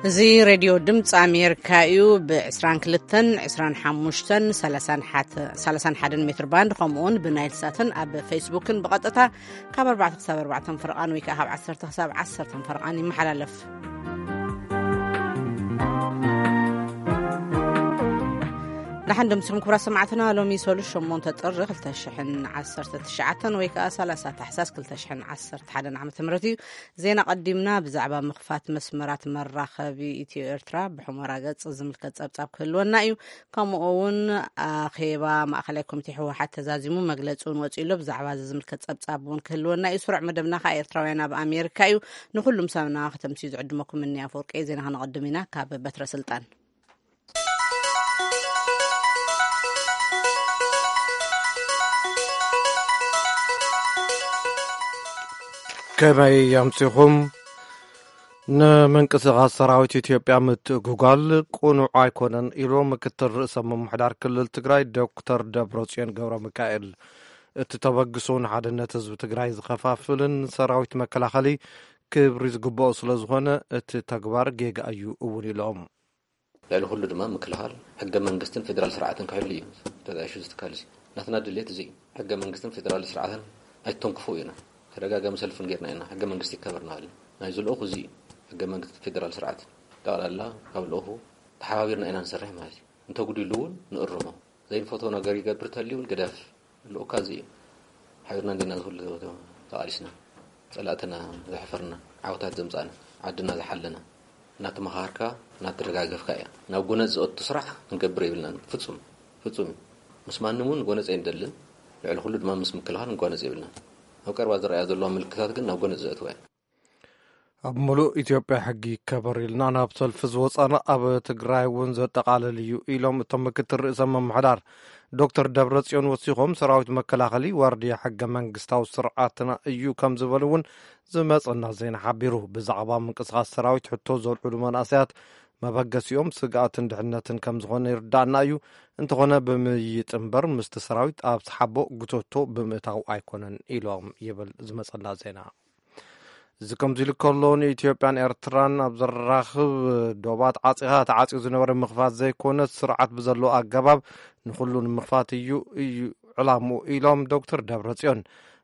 እዚ ሬድዮ ድምፂ ኣሜሪካ እዩ። ብ22፣ 25፣ 31 ሜትር ባንድ፣ ከምኡውን ብናይል ሳትን ኣብ ፌስቡክን ብቐጥታ ካብ ኣርባዕተ ክሳብ ኣርባዕተ ፈረቓን ወይ ከዓ ካብ ዓሰርተ ክሳብ ዓሰርተ ፈረቓን ይመሓላለፍ። ደሓን ደምሲኹም ክቡራት ሰማዕትና። ሎሚ ሰሉስ ሸሞንተ ጥሪ ክልተ ሽሕን ዓሰርተ ትሽዓተን ወይ ከዓ ሰላሳ ታሕሳስ ክልተ ሽሕን ዓሰርተ ሓደን ዓመተ ምህረት እዩ። ዜና ቀዲምና። ብዛዕባ ምኽፋት መስመራት መራኸቢ ኢትዮ ኤርትራ ብሑመራ ገጽ ዝምልከት ጸብጻብ ክህልወና እዩ። ከምኡ እውን ኣኼባ ማእኸላይ ኮሚቴ ህወሓት ተዛዚሙ መግለጺ እውን ወጺኡ ኣሎ። ብዛዕባ እዚ ዝምልከት ጸብጻብ እውን ክህልወና እዩ። ስሩዕ መደብና ከዓ ኤርትራውያን ኣብ ኣሜሪካ እዩ። ንኹሉም ሰብና ከተምስዩ ዝዕድመኩም እኒ ኣፈወርቂ። ዜና ከነቐድም ኢና። ካብ በትረ ስልጣን። ከመይ ኣምሲኹም? ንምንቅስቓስ ሰራዊት ኢትዮጵያ ምትእጉጓል ቅኑዕ ኣይኮነን ኢሉ ምክትል ርእሰ ምምሕዳር ክልል ትግራይ ዶክተር ደብረጽዮን ገብረ ሚካኤል። እቲ ተበግሶ ንሓድነት ህዝቢ ትግራይ ዝኸፋፍልን ሰራዊት መከላኸሊ ክብሪ ዝግብኦ ስለ ዝኾነ እቲ ተግባር ጌጋ እዩ እውን ኢሎም። ልዕሊ ኩሉ ድማ ምክልኻል ሕገ መንግስትን ፌዴራል ስርዓትን ክሕሉ እዩ ተጣይሹ ዝትካል እዚ። ናትና ድልየት እዚ እዩ። ሕገ መንግስትን ፌዴራል ስርዓትን ኣይተንክፉ ኢና። ተደጋጋሚ ሰልፍን ጌርና ኢና። ሕገ መንግስቲ ይከበር እናበልና ናይ ዝልኡኹ እዚ እዩ። ሕገ መንግስትን ፌዴራል ስርዓትን ጠቕላላ ካብ ልኡኹ ተሓባቢርና ኢና ንሰርሕ ማለት እዩ። እንተጉዲሉ እውን ንእርሞ። ዘይንፈትዎ ነገር ይገብር ተልዩ እውን ግደፍ። ልኡካ እዚ እዩ። ሓቢርና እንዲና ዝኹሉ ተቓሊስና። ጸላእትና ዘሕፈርና፣ ዓወታት ዘምጻእና፣ ዓድና ዝሓለና። እናተመኻኸርካ፣ እናተደጋገፍካ እያ። ናብ ጎነጽ ዘእቱ ስራሕ ክንገብር የብልናን። ፍጹም፣ ፍጹም እዩ። ምስ ማንም እውን ጎነጽ ኣይንደልን። ልዕሊ ኩሉ ድማ ምስ ምክልኻል ንጓነጽ የብልናን። ኣብ ቀረባ ዝረኣያ ዘለዋ ምልክታት ግን ናብ ጎነጽ ዘእትዋ እየን። ኣብ ምሉእ ኢትዮጵያ ሕጊ ይከበር ኢልና ናብ ሰልፊ ዝወጻና ኣብ ትግራይ እውን ዘጠቓልል እዩ ኢሎም እቶም ምክትል ርእሰ ምምሕዳር። ዶክተር ደብረጽዮን ወሲኾም ሰራዊት መከላኸሊ ዋርድያ ሕገ መንግስታዊ ስርዓትና እዩ ከም ዝበሉ እውን ዝመጸና ዜና ሓቢሩ። ብዛዕባ ምንቅስቓስ ሰራዊት ሕቶ ዘልዕሉ መናእሰያት መበገሲኦም ስግኣትን ድሕነትን ከም ዝኾነ ይርዳእና እዩ። እንተኾነ ብምይይጥ እምበር ምስቲ ሰራዊት ኣብ ሰሓቦ ጉተቶ ብምእታው ኣይኮነን ኢሎም ይብል ዝመጸና ዜና። እዚ ከምዚ ኢሉ ከሎ ንኢትዮጵያን ኤርትራን ኣብ ዘራኽብ ዶባት ዓጺኻ ተዓጺዩ ዝነበረ ምኽፋት ዘይኮነ ስርዓት ብዘለዎ ኣገባብ ንኹሉ ንምኽፋት እዩ እዩ ዕላምኡ ኢሎም ዶክተር ደብረጽዮን።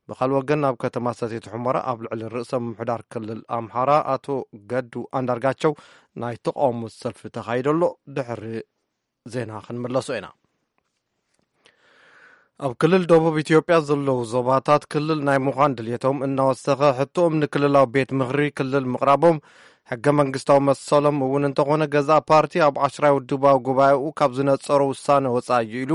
ብኻልእ ወገን ኣብ ከተማ ሰቲት ሑመራ ኣብ ልዕሊ ርእሰ ምምሕዳር ክልል ኣምሓራ ኣቶ ገዱ ኣንዳርጋቸው ናይ ተቃውሞ ሰልፊ ተኻይዶ ኣሎ። ድሕሪ ዜና ክንምለሶ ኢና። ኣብ ክልል ደቡብ ኢትዮጵያ ዘለዉ ዞባታት ክልል ናይ ምዃን ድልየቶም እናወሰኸ ሕቶኦም ንክልላዊ ቤት ምኽሪ ክልል ምቕራቦም ሕገ መንግስታዊ መሰሎም እውን እንተኾነ ገዛእ ፓርቲ ኣብ ዓሽራይ ውድባዊ ጉባኤኡ ካብ ዝነጸሮ ውሳነ ወጻኢ እዩ ኢሉ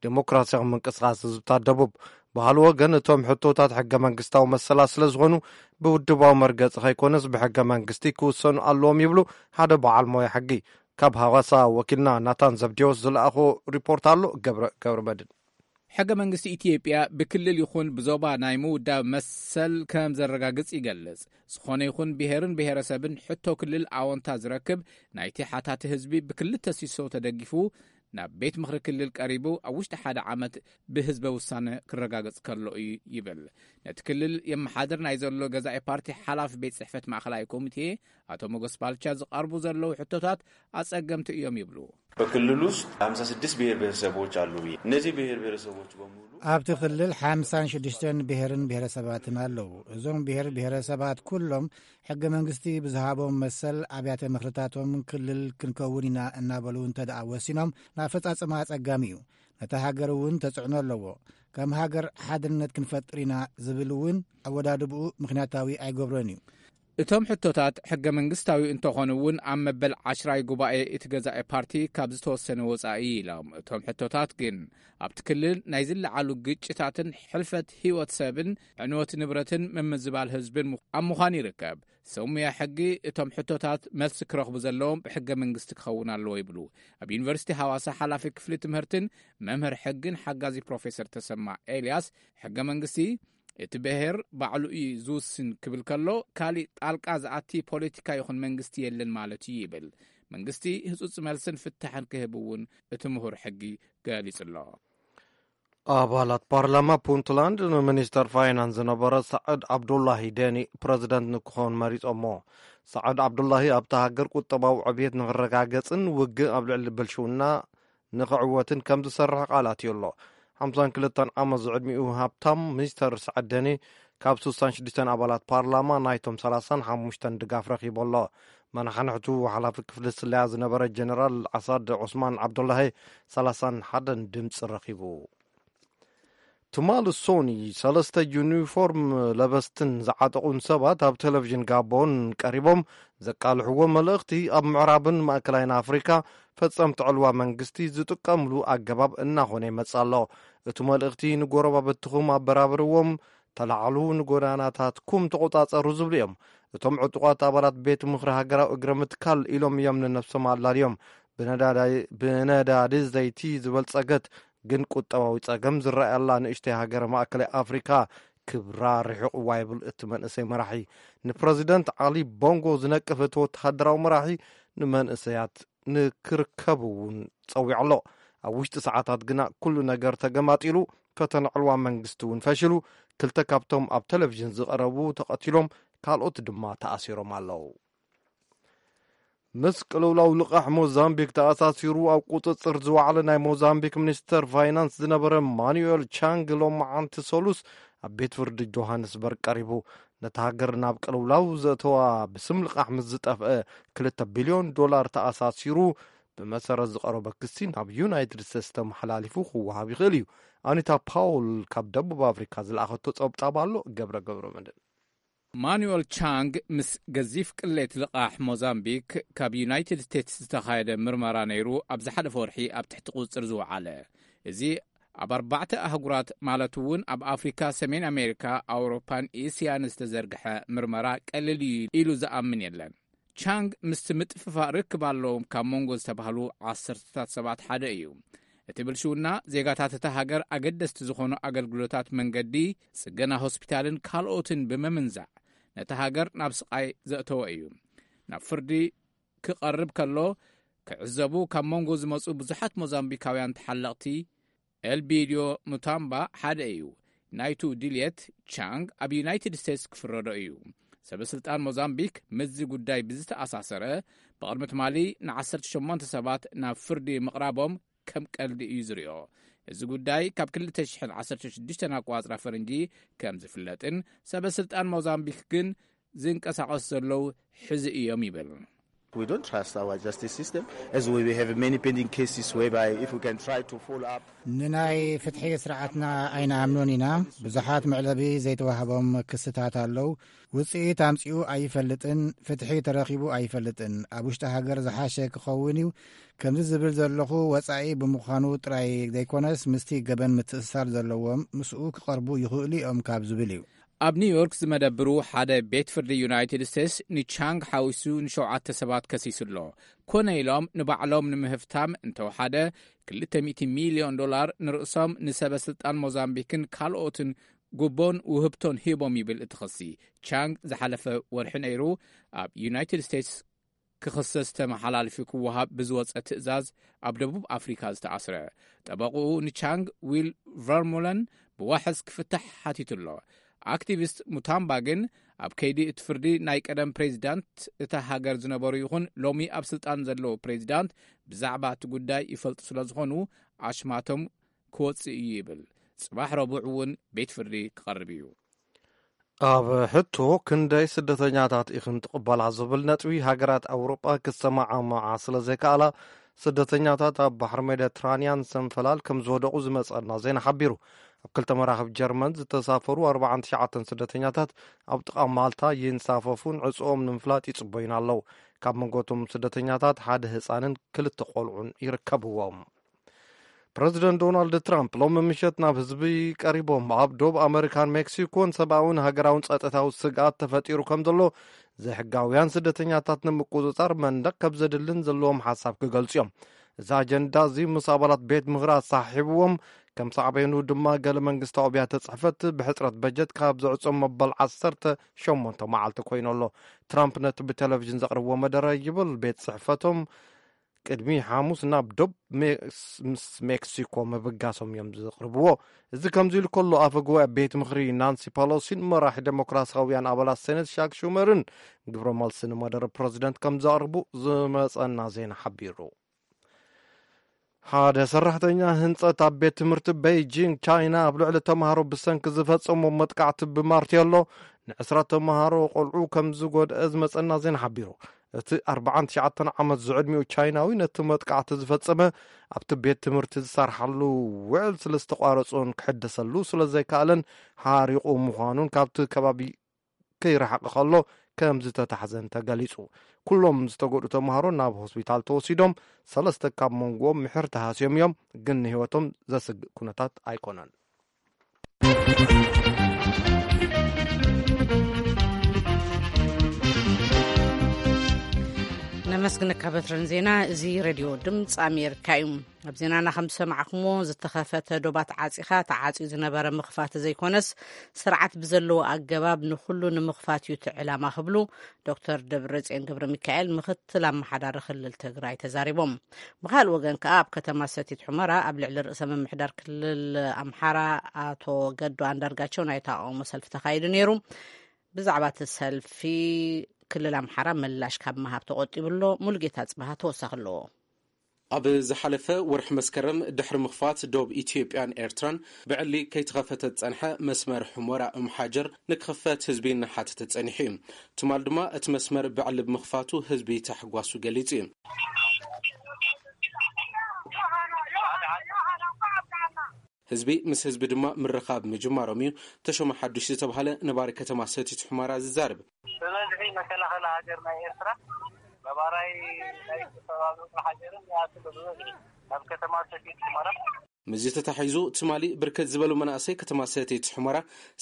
ዴሞክራሲያዊ ምንቅስቓስ ህዝብታት ደቡብ። ብኻልእ ወገን እቶም ሕቶታት ሕገ መንግስታዊ መሰላት ስለ ዝኾኑ ብውድባዊ መርገጺ ከይኮነስ ብሕገ መንግስቲ ክውሰኑ ኣለዎም ይብሉ ሓደ በዓል ሞያ ሕጊ። ካብ ሃዋሳ ወኪልና ናታን ዘብዴዎስ ዝለኣኾ ሪፖርት ኣሎ፣ ገብረ ገብረ መድን። ሕገ መንግስቲ ኢትዮጵያ ብክልል ይኹን ብዞባ ናይ ምውዳብ መሰል ከም ዘረጋግጽ ይገልጽ። ዝኾነ ይኹን ብሔርን ብሔረሰብን ሕቶ ክልል ኣወንታ ዝረክብ ናይቲ ሓታቲ ህዝቢ ብክልተ ሲሶ ተደጊፉ ናብ ቤት ምኽሪ ክልል ቀሪቡ ኣብ ውሽጢ ሓደ ዓመት ብህዝበ ውሳነ ክረጋገጽ ከሎ እዩ ይብል። ነቲ ክልል የመሓድር ናይ ዘሎ ገዛኢ ፓርቲ ሓላፊ ቤት ጽሕፈት ማእኸላይ ኮሚቴ ኣቶ ሞገስ ባልቻ ዝቐርቡ ዘለዉ ሕቶታት ኣጸገምቲ እዮም ይብሉ። በክልሉ ውስጥ ሃምሳ ስድስት ብሔር ብሔረሰቦች አሉ ብዬ እነዚህ ብሔር ብሔረሰቦች በሙሉ ኣብቲ ክልል ሓምሳን ሽዱሽተን ብሔርን ብሔረሰባትን ኣለዉ። እዞም ብሔር ብሔረሰባት ኩሎም ሕገ መንግስቲ ብዝሃቦም መሰል ኣብያተ ምኽርታቶም ክልል ክንከውን ኢና እናበሉ እንተ ደኣ ወሲኖም ንኣፈጻጽማ ኣጸጋሚ እዩ። ነታ ሃገር እውን ተጽዕኖ ኣለዎ። ከም ሃገር ሓድነት ክንፈጥር ኢና ዝብል እውን ኣወዳድብኡ ምኽንያታዊ ኣይገብሮን እዩ። እቶም ሕቶታት ሕገ መንግስታዊ እንተኾኑ እውን ኣብ መበል ዓሽራይ ጉባኤ እቲ ገዛኢ ፓርቲ ካብ ዝተወሰነ ወጻኢ ኢሎም። እቶም ሕቶታት ግን ኣብቲ ክልል ናይ ዝለዓሉ ግጭታትን ሕልፈት ህይወት ሰብን ዕንወት ንብረትን ምምዝባል ህዝብን ኣብ ምዃን ይርከብ። ሰብ ሙያ ሕጊ እቶም ሕቶታት መልሲ ክረኽቡ ዘለዎም ብሕገ መንግስቲ ክኸውን ኣለዎ ይብሉ። ኣብ ዩኒቨርሲቲ ሃዋሳ ሓላፊ ክፍሊ ትምህርትን መምህር ሕግን ሓጋዚ ፕሮፌሰር ተሰማ ኤልያስ ሕገ መንግስቲ እቲ ብሔር ባዕሉ እዩ ዝውስን ክብል ከሎ ካሊእ ጣልቃ ዝኣቲ ፖለቲካ ይኹን መንግስቲ የለን ማለት እዩ ይብል። መንግስቲ ህጹጽ መልስን ፍታሕን ክህብ እውን እቲ ምሁር ሕጊ ገሊጹ ኣሎ። ኣባላት ፓርላማ ፑንትላንድ ንሚኒስተር ፋይናንስ ዝነበረ ሳዕድ ዓብዱላሂ ደኒ ፕረዚደንት ንክኾን መሪጾሞ። ሳዕድ ዓብዱላሂ ኣብታ ሃገር ቁጠባዊ ዕብየት ንክረጋገጽን ውግእ ኣብ ልዕሊ ብልሽውና ንክዕወትን ከም ዝሰርሕ ቃላት እዩ ኣሎ። ሓምሳን ክልተን ዓመት ዝዕድሚኡ ሃብታም ሚስተር ሳዕድ ደኒ ካብ ስሳን ሽዱሽተን ኣባላት ፓርላማ ናይቶም ሰላሳን ሓሙሽተን ድጋፍ ረኺቡ ኣሎ። መናሕንሕቱ ሓላፊ ክፍሊ ስለያ ዝነበረ ጀነራል ዓሳድ ዑስማን ዓብዱላሂ ሰላሳን ሓደን ድምፂ ረኺቡ። ትማሊ ሶኒ ሰለስተ ዩኒፎርም ለበስትን ዝዓጠቑን ሰባት ኣብ ቴሌቪዥን ጋቦን ቀሪቦም ዘቃልሕዎ መልእኽቲ ኣብ ምዕራብን ማእከላይን ኣፍሪካ ፈጸምቲ ዕልዋ መንግስቲ ዝጥቀምሉ ኣገባብ እናኾነ ይመጽእ ኣሎ። እቲ መልእኽቲ ንጎረባብትኹም ኣበራብርዎም፣ ተላዕሉ፣ ንጎዳናታትኩም ተቖጻጸሩ ዝብሉ እዮም። እቶም ዕጡቓት ኣባላት ቤት ምኽሪ ሃገራዊ እግረ ምትካል ኢሎም እዮም ንነብሶም ኣላልዮም። ብነዳዲ ዘይቲ ዝበልጸገት ግን ቁጠባዊ ጸገም ዝረኣየላ ንእሽተይ ሃገር ማእከላይ ኣፍሪካ ክብራ ርሑቕ እዋ ይብል እቲ መንእሰይ መራሒ። ንፕረዚደንት ዓሊ ቦንጎ ዝነቅፍ እቲ ወተሃደራዊ መራሒ ንመንእሰያት ንክርከቡ እውን ጸዊዑ ኣሎ። ኣብ ውሽጢ ሰዓታት ግና ኩሉ ነገር ተገማጢሉ፣ ፈተነ ዕልዋ መንግስቲ እውን ፈሽሉ። ክልተ ካብቶም ኣብ ቴሌቪዥን ዝቐረቡ ተቐቲሎም፣ ካልኦት ድማ ተኣሲሮም ኣለዉ። ምስ ቅልውላው ልቓሕ ሞዛምቢክ ተኣሳሲሩ ኣብ ቁጽጽር ዝወዓለ ናይ ሞዛምቢክ ሚኒስተር ፋይናንስ ዝነበረ ማኑኤል ቻንግ ሎማዓንቲ ሰሉስ ኣብ ቤት ፍርዲ ጆሃንስበርግ ቀሪቡ። ነታ ሃገር ናብ ቅልውላው ዘእተዋ ብስም ልቓሕ ምስ ዝጠፍአ ክልተ ቢልዮን ዶላር ተኣሳሲሩ ብመሰረት ዝቐረበ ክሲ ናብ ዩናይትድ ስቴትስ ተመሓላሊፉ ክወሃብ ይኽእል እዩ። ኣኒታ ፓውል ካብ ደቡብ ኣፍሪካ ዝለኣኸቶ ጸብጻብ ኣሎ። ገብረ ገብረ መድህን። ማኑኤል ቻንግ ምስ ገዚፍ ቅሌት ልቓሕ ሞዛምቢክ ካብ ዩናይትድ ስቴትስ ዝተኻየደ ምርመራ ነይሩ ኣብ ዝሓለፈ ወርሒ ኣብ ትሕቲ ቁጽጽር ዝወዓለ። እዚ ኣብ ኣርባዕተ ኣህጉራት ማለት እውን ኣብ ኣፍሪካ፣ ሰሜን ኣሜሪካ፣ ኣውሮፓን ኤስያን ዝተዘርግሐ ምርመራ ቀሊል እዩ ኢሉ ዝኣምን የለን። ቻንግ ምስቲ ምጥፍፋእ ርክብ ኣለዎም ካብ መንጎ ዝተባህሉ ዓሰርተታት ሰባት ሓደ እዩ። እቲ ብልሽውና ዜጋታት እታ ሃገር ኣገደስቲ ዝኾኑ ኣገልግሎታት መንገዲ፣ ጽገና ሆስፒታልን ካልኦትን ብምምንዛዕ ነታ ሃገር ናብ ስቓይ ዘእተወ እዩ። ናብ ፍርዲ ክቐርብ ከሎ ክዕዘቡ ካብ መንጎ ዝመጹ ብዙሓት ሞዛምቢካውያን ተሓለቕቲ ኤልቢድዮ ሙታምባ ሓደ እዩ። ናይቱ ድልየት ቻንግ ኣብ ዩናይትድ ስቴትስ ክፍረዶ እዩ። ሰበ ስልጣን ሞዛምቢክ ምስዚ ጉዳይ ብዝተኣሳሰረ ብቕድሚ ትማሊ ንዓሰርተ ሸሞንተ ሰባት ናብ ፍርዲ ምቕራቦም ከም ቀልዲ እዩ ዝሪኦ። እዚ ጉዳይ ካብ ክልተ ሽሕን ዓሰርተ ሽዱሽተን ኣቋጽራ ፈረንጂ ከም ዝፍለጥን ሰበ ስልጣን ሞዛምቢክ ግን ዝንቀሳቐሱ ዘለዉ ሕዚ እዮም ይብል። We don't trust our justice system, as we have many pending cases whereby if we can try to follow up. ንናይ ፍትሒ ስርዓትና ኣይንኣምኖን ኢና። ብዙሓት መዕለቢ ዘይተዋህቦም ክስታት ኣለዉ። ውጽኢት ኣምጺኡ ኣይፈልጥን፣ ፍትሒ ተረኺቡ ኣይፈልጥን። ኣብ ውሽጢ ሃገር ዝሓሸ ክኸውን እዩ። ከምዚ ዝብል ዘለኹ ወጻኢ ብምዃኑ ጥራይ ዘይኮነስ፣ ምስቲ ገበን ምትእስሳር ዘለዎም ምስኡ ክቐርቡ ይኽእሉ እዮም ካብ ዝብል እዩ። ኣብ ኒውዮርክ ዝመደብሩ ሓደ ቤት ፍርዲ ዩናይትድ ስቴትስ ንቻንግ ሓዊሱ ንሸውዓተ ሰባት ከሲሱ ኣሎ። ኮነ ኢሎም ንባዕሎም ንምህፍታም እንተወሓደ ክልተ ሚእቲ ሚልዮን ዶላር ንርእሶም፣ ንሰበ ስልጣን ሞዛምቢክን ካልኦትን ጉቦን ውህብቶን ሂቦም ይብል እቲ ክሲ። ቻንግ ዝሓለፈ ወርሒ ነይሩ ኣብ ዩናይትድ ስቴትስ ክኽሰስ ተመሓላልፊ ክወሃብ ብዝወጸ ትእዛዝ ኣብ ደቡብ ኣፍሪካ ዝተኣስረ። ጠበቕኡ ንቻንግ ዊል ቨርሙለን ብዋሕስ ክፍታሕ ሓቲቱ ኣሎ። ኣክቲቪስት ሙታምባ ግን ኣብ ከይዲ እቲ ፍርዲ ናይ ቀደም ፕሬዚዳንት እታ ሃገር ዝነበሩ ይኹን ሎሚ ኣብ ስልጣን ዘለዉ ፕሬዚዳንት ብዛዕባ እቲ ጉዳይ ይፈልጡ ስለ ዝኾኑ ኣሽማቶም ክወጽእ እዩ ይብል። ጽባሕ ረቡዕ እውን ቤት ፍርዲ ክቐርብ እዩ። ኣብ ሕቶ ክንደይ ስደተኛታት ኢኽን ትቕበላ ዝብል ነጥቢ ሃገራት ኣውሮጳ ክሰማማዓ ስለ ዘይከኣላ፣ ስደተኛታት ኣብ ባሕሪ ሜዲትራንያን ሰንፈላል ከም ዝወደቑ ዝመጸና ዜና ሓቢሩ። ኣብ ክልተ መራኽብ ጀርመን ዝተሳፈሩ ኣርባዓን ትሽዓተን ስደተኛታት ኣብ ጥቓ ማልታ ይንሳፈፉን ዕጽኦም ንምፍላጥ ይጽበዩን ኣለዉ። ካብ መንጎ እቶም ስደተኛታት ሓደ ህጻንን ክልተ ቆልዑን ይርከብዎም። ፕረዚደንት ዶናልድ ትራምፕ ሎሚ ምሸት ናብ ህዝቢ ቀሪቦም፣ ኣብ ዶብ ኣመሪካን ሜክሲኮን ሰብኣውን ሃገራውን ጸጥታዊ ስግኣት ተፈጢሩ ከም ዘሎ፣ ዘይሕጋውያን ስደተኛታት ንምቁጽጻር መንደቕ ከም ዘድልን ዘለዎም ሓሳብ ክገልጹ እዮም። እዚ ኣጀንዳ እዚ ምስ ኣባላት ቤት ምኽሪ ኣሰሓሒብዎም፣ ከም ሳዕቤኑ ድማ ገለ መንግስታዊ ኣብያተ ጽሕፈት ብሕጽረት በጀት ካብ ዝዕጾም መበል ዓሰርተ ሸሞንተ መዓልቲ ኮይኑ ኣሎ። ትራምፕ ነቲ ብቴሌቪዥን ዘቕርብዎ መደረ ይብል ቤት ጽሕፈቶም ቅድሚ ሓሙስ ናብ ዶብ ሜክስ-፣ ምስ ሜክሲኮ ምብጋሶም እዮም ዝቕርብዎ። እዚ ከምዚ ኢሉ ከሎ፣ ኣፈ ጉባኤ ቤት ምኽሪ ናንሲ ፓሎሲን መራሒ ዴሞክራሲያውያን ኣባላት ሴኔት ሻክ ሹመርን ግብረ መልሲ ንመደረ ፕረዚደንት ከም ዘቕርቡ ዝመጸና ዜና ሓቢሩ። ሓደ ሰራሕተኛ ህንጸት ኣብ ቤት ትምህርቲ ቤይጂንግ ቻይና ኣብ ልዕሊ ተምሃሮ ብሰንኪ ዝፈጸሞ መጥቃዕቲ ብማርቴሎ ንዕስራ ተምሃሮ ቆልዑ ከም ዝጎድአ ዝመጸና ዜና ሓቢሩ። እቲ ኣርባዓን ትሽዓተን ዓመት ዝዕድሚኡ ቻይናዊ ነቲ መጥቃዕቲ ዝፈጸመ ኣብቲ ቤት ትምህርቲ ዝሰርሓሉ ውዕል ስለ ዝተቋረጾን ክሕደሰሉ ስለ ዘይከኣለን ሓሪቑ ምዃኑን ካብቲ ከባቢ ከይረሓቐ ከሎ ከም ዝተታሕዘን ተገሊጹ። ኩሎም ዝተጎድኡ ተምሃሮ ናብ ሆስፒታል ተወሲዶም፣ ሰለስተ ካብ መንጎኦም ምሕር ተሃስዮም እዮም፣ ግን ንህይወቶም ዘስግእ ኩነታት ኣይኮነን። ነመስግነካ በትረን ዜና። እዚ ሬድዮ ድምፂ ኣሜሪካ እዩ። ኣብ ዜናና ከም ዝሰማዕኩሞ፣ ዝተኸፈተ ዶባት ዓፂኻ ተዓፅዩ ዝነበረ ምኽፋት ዘይኮነስ፣ ስርዓት ብዘለዎ ኣገባብ ንኹሉ ንምኽፋት እዩ እቲ ዕላማ ክብሉ ዶክተር ደብረፅዮን ገብረ ሚካኤል፣ ምክትል ኣመሓዳሪ ክልል ትግራይ፣ ተዛሪቦም። ብኻልእ ወገን ከኣ፣ ኣብ ከተማ ሰቲት ሑመራ ኣብ ልዕሊ ርእሰ ምምሕዳር ክልል ኣምሓራ ኣቶ ገዱ ኣንዳርጋቸው ናይ ተቃውሞ ሰልፊ ተኻይዱ ነይሩ። ብዛዕባ እቲ ሰልፊ ክልል ኣምሓራ ምላሽ ካብ ምሃብ ተቆጢቡ ኣሎ። ሙሉጌታ ጽባሃ ተወሳኺ ኣለዎ። ኣብ ዝሓለፈ ወርሒ መስከረም፣ ድሕሪ ምኽፋት ዶብ ኢትዮጵያን ኤርትራን ብዕሊ ከይተኸፈተ ዝጸንሐ መስመር ሑመራ እምሓጀር ንክኽፈት ህዝቢ እናሓተተ ጸኒሑ እዩ። ትማል ድማ እቲ መስመር ብዕሊ ብምኽፋቱ ህዝቢ ታሕጓሱ ገሊጹ እዩ። ህዝቢ ምስ ህዝቢ ድማ ምርኻብ ምጅማሮም እዩ ተሾመ ሓዱሽ ዝተባህለ ነባሪ ከተማ ሰቲት ሑመራ ዝዛረብ። ብበዝሒ መከላኸሊ ሃገር ናይ ኤርትራ፣ ነባራይ ናይ ከባቢ ሃገርን ይኣቱ ብበዝሒ ናብ ከተማ ሰቲት ሑመራ። ምስዚ ተታሒዙ፣ ትማሊ ብርክት ዝበሉ መናእሰይ ከተማ ሰቲት ሑመራ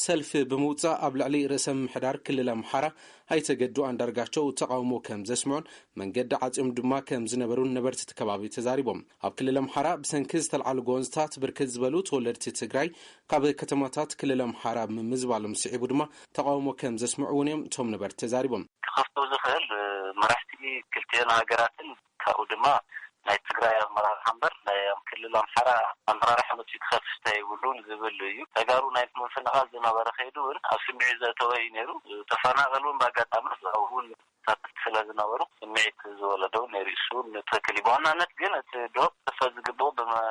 ሰልፊ ብምውጻእ፣ ኣብ ልዕሊ ርእሰ ምምሕዳር ክልል ኣምሓራ ኣይተ ገዱ ኣንዳርጋቸው ተቃውሞ ከም ዘስምዑን መንገዲ ዓጽዮም ድማ ከም ዝነበሩን ነበርቲ እቲ ከባቢ ተዛሪቦም። ኣብ ክልል ኣምሓራ ብሰንኪ ዝተልዓሉ ጎንዝታት ብርክት ዝበሉ ተወለድቲ ትግራይ ካብ ከተማታት ክልል ኣምሓራ ምምዝባሎም ስዒቡ ድማ ተቃውሞ ከም ዘስምዑ እውን እዮም እቶም ነበርቲ ተዛሪቦም። ክኸፍቶ ዝኽእል፣ እ፣ መራሕቲ ክልቲአን ሃገራትን ካብኡ ድማ ናይ ትግራይ ኣመራርሓ እምበር ናይ ክልል ኣምሓራ ኣመራርሓ መፂኡ ክኸፍት ኣይብሉን ዝብል እዩ። ተጋሩ ናይ ምፍንቓል ዝነበረ ከይዱ እውን ኣብ ስምዒት ዘእተወ እዩ ነይሩ። ተፈናቐል እውን ብኣጋጣሚ ኣብኡ እውን ተሳተፍቲ ስለ ዝነበሩ ስምዒት ዝወለደ እውን ነይሩ። እሱ እውን ትኽክል እዩ። ብዋናነት ግን እቲ ዶብ ክኸፈት ዝግብኦ ብመ-፣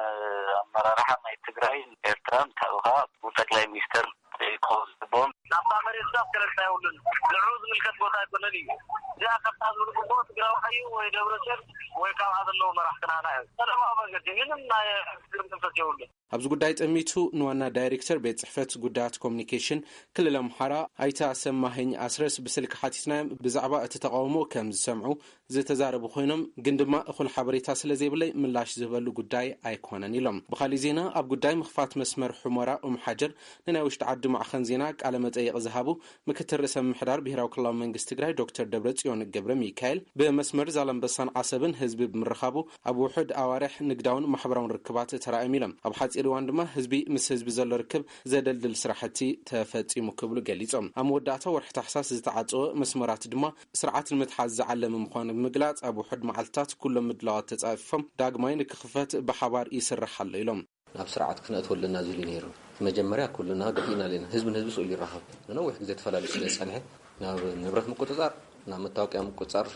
ኣመራርሓ ናይ ትግራይን ኤርትራን ካብኡ ከዓ ጠቅላይ ሚኒስተር ክኸውን ዝግብኦም። ናብታ መሬት ዳስ ገለልታ የብሉን። ንዕኡ ዝምልከት ቦታ ኣይኮነን እዩ። እዚኣ ከፍታ ዝብል ግቡእ ትግራዋይ እዩ ወይ ደብረፅዮን ወይ ካብኣ ዘለዉ መራሕቲ ናህና እዮም። ሰላማዊ መንገዲ ምንም ናይ ሽግር መንፈስ የብሉን። ኣብዚ ጉዳይ ጠሚቱ ንዋና ዳይሬክተር ቤት ጽሕፈት ጉዳያት ኮሚኒኬሽን ክልል ኣምሓራ ኣይተ ኣሰማኸኝ ኣስረስ ብስልኪ ሓቲትናዮም ብዛዕባ እቲ ተቃውሞ ከም ዝሰምዑ ዝተዛረቡ ኮይኖም፣ ግን ድማ እኹል ሓበሬታ ስለ ዘይብለይ ምላሽ ዝህበሉ ጉዳይ ኣይኮነን ኢሎም። ብኻሊእ ዜና፣ ኣብ ጉዳይ ምኽፋት መስመር ሑመራ ኡም ሓጀር ንናይ ውሽጢ ዓዲ ማዕኸን ዜና ቃለ መጠይቕ ዝሃቡ ምክትል ርእሰ ምምሕዳር ብሄራዊ ክልላዊ መንግስቲ ትግራይ ዶክተር ደብረጽዮን ገብረ ሚካኤል፣ ብመስመር ዛላምበሳን ዓሰብን ህዝቢ ብምርኻቡ ኣብ ውሑድ ኣዋርሕ ንግዳውን ማሕበራውን ርክባት ተራእዮም ኢሎም። ኣብ ሓጺር እዋን ድማ ህዝቢ ምስ ህዝቢ ዘሎ ርክብ ዘደልድል ስራሕቲ ተፈጺሙ ክብሉ ገሊጾም። ኣብ መወዳእታ ወርሒ ታሕሳስ ዝተዓጸወ መስመራት ድማ ስርዓት ንምትሓዝ ዝዓለመ ምዃኑ ብምግላጽ፣ ኣብ ውሑድ መዓልትታት ኩሎም ምድላዋት ተጻፊፎም ዳግማይ ንክኽፈት ብሓባር ይስራሕ ኣሎ ኢሎም። ናብ ስርዓት ክነእትወሉ ኣለና ዝብል እዩ ነይሩ። መጀመርያ ኩልና ገፊእና ኣለና። ህዝቢ ንህዝቢ ስእሉ ይራኸብ። ንነዊሕ ግዜ ተፈላልዩ ስለ ዝጸንሐ፣ ናብ ንብረት ምቁጽጻር፣ ናብ መታወቅያ ምቁጽጻር፣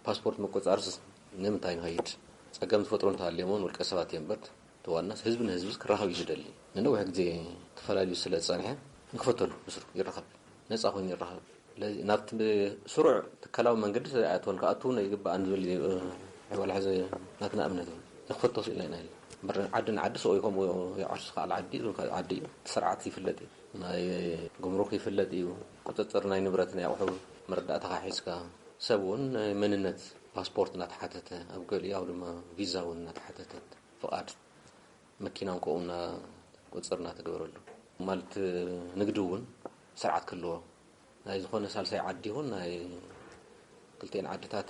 ፓስፖርት ምቁጽጻር ስ-፣ ንምንታይ ንኸይድ? ጸገም ዝፈጥሩ እንተሃልዮም እውን ውልቀ ሰባት እዮም እምበር፣ እቲ ዋናስ ህዝቢ ንህዝቢ ክራኸብ እዩ ዝደሊ። ንነዊሕ ግዜ ተፈላልዩ ስለ ዝጸንሐ፣ ንክፈተሉ ብስሩ ይራኸብ። ነጻ ኮይኑ ይራኸብ። ስለዚ ናብቲ ስሩዕ ትካላዊ መንገዲ ኣይኣተወን፣ ክኣቱ ይግባእ ንዝብል እዩ። ሕዋላ ሕዚ ናትና እምነት እዩ። ንክፈቶ ስኢልና ኢና ኢልና። እምበር ዓዲ ንዓዲ ሰው ይከምኡ ይዓርሱ፣ ካልእ ዓዲ ይኹን ካልእ ዓዲ እዩ። እቲ ስርዓት ይፍለጥ እዩ። ናይ ጉምሩክ ይፍለጥ እዩ። ቁጽጽር ናይ ንብረት ናይ ኣቑሑ መረዳእታኻ ሒዝካ፣ ሰብ እውን ናይ መንነት ፓስፖርት እናተሓተተ፣ ኣብ ገሊኡ ድማ ቪዛ እውን እናተሓተተ፣ ፍቓድ መኪና እውን ከምኡ እና ቁጽጽር እናተገበረሉ። ማለት ንግዲ እውን ስርዓት ክህልዎ፣ ናይ ዝኾነ ሳልሳይ ዓዲ ይኹን ናይ ክልቲኤን ዓድታት